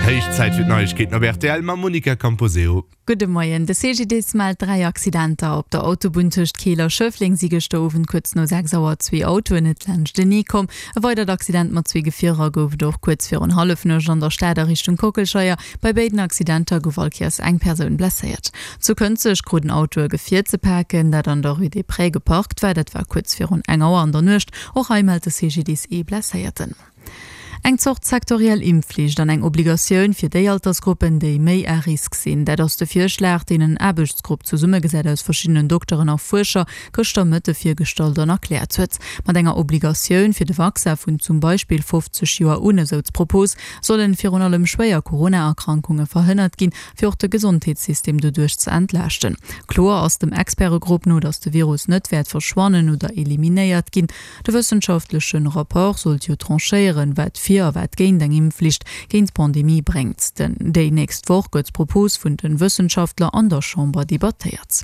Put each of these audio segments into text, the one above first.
Héich Zäit fir d'Neiegkeeten op rtl mam Monica Camposeo. Gudde Moien. De CGDIS mellt 3 Accidenter. Op der Autobunn tëscht Keel a Schëffleng si gëschter Owend kuerz no 6 Auer zwee Autoen net laanschtenee komm. E weidert Accident mat zwee Gefierer gouf et och kuerz virun Hallefnuecht an der Stad a Richtung Kockelscheier. Bei béiden Accidenter gouf all Kéiers eng Persoun blesséiert. Zu Kënzeg krut en Auto e Gefier ze paken, dat an der Rue des Prés geparkt war. Dat war kuerz virun eng Auer an der Nuecht. Och hei mellt de CGDIS ee Blesséierten. Eng Zort sektoriell Impfflicht an eng Obligatioun fir déi Altersgruppen, déi méi à risque sinn, dat ass de Virschlag, deen en Aarbechtsgrupp, zesummegesat aus verschiddenen Dokteren a Fuerscher, gëschter Mëtte virgestallt an erkläert huet. Mat enger Obligatioun fir de Vaccin vun zum Beispill 50 Joer un, esou d'Propos, sollen virun allem schwéier Corona-Erkrankunge verhënnert ginn, fir och de Gesondheetssystem doduerch ze entlaaschten. Kloer ass dem Expertegrupp no, datt de Virus net wäert verschwannen oder eliminéiert ginn. De wëssenschaftlechen Rapport sollt jo tranchéieren, wat fir a wat géint eng Impfflicht géint d'Pandemie bréngt. Den déi nächst Woch gëtt d'Propos vun den Wëssenschaftler an der Chamber debattéiert.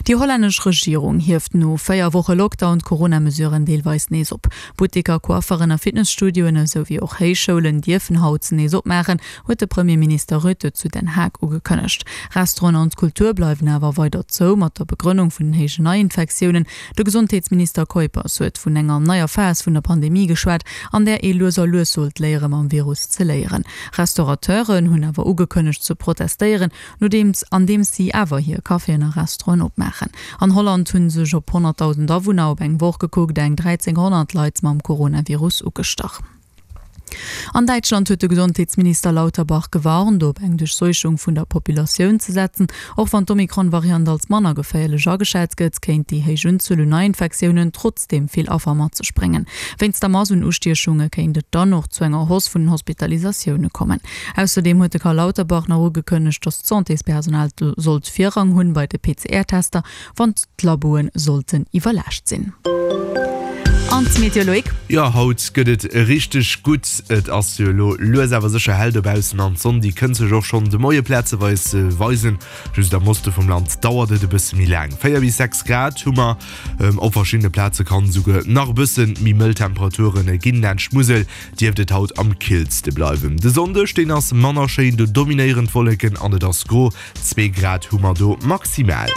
Déi hollännesch Regierung hieft no 4 Woche Lockdown d'Corona-Mesuren deelweis nees op. Butteker, Coifferen a Fitnesstudioen esou wéi och Héichschoulen dierfen haut nees opmaachen, huet de Premierminister Rutte zu Den Haag ugekënnegt. Restauranten an d'Kultur bleiwen awer weider zou, mat der Begrënnung vun den héijen Neiinfektiounen. De Gesondheetsminister Kuipers huet vun enger neier Phas vun der Pandemie geschwat, an där ee lues a lues sollt léiere mam Virus ze léieren. Restaurateuren hunn awer ugekënnegt ze protestéieren, nodeems andeems si awer hir Caféen a Restauranten opmaachen. An Holland hu sech op 100.000 Awunner op eng Woch gekuckt eng 1.300 Leit mam Coronavirus ugestach. An Däitschland huet de Gesondheetsminister Lauterbach gewarnt, op eng Duerchseuchung vun der Populatioun ze setzen. Och wann d'Omikron-Variant als manner geféierlech ageschat gëtt, kéint déi héich Unzuel un Neiinfektiounen trotzdeem vill Affer mat sech bréngen. Wéinst der Mass un Ustiechunge kéint et dann och zu enger Hausse vun den Hospitalisatioune kommen. Ausserdeem huet de Karl Lauterbach nach ugekënnegt, datt d'Santéspersonal sollt Virrang hunn bei de PCR-Tester, wann d'Laboe sollten iwwerlaascht sinn. An d'Meteo, Loïc? Jo, haut gëtt et richteg gutt. Et ass jo elo lues awer sécher hell dobaussen an d'Sonn déi kënnt sech och schonn de Moie plazeweis weisen. Just am Oste vum Land dauert et e bësse méi laang. 4 bis 6 Grad hu mer, op verschiddene Plaze kann et esouguer nach e bësse méi mëll Temperature ginn. Laanscht d'Musel dierft et haut am killste bleiwen. De Sonndeg, deen ass manner schéin, do dominéieren d'Wolleken an et ass gro. 2 Grad hu mer do maximal.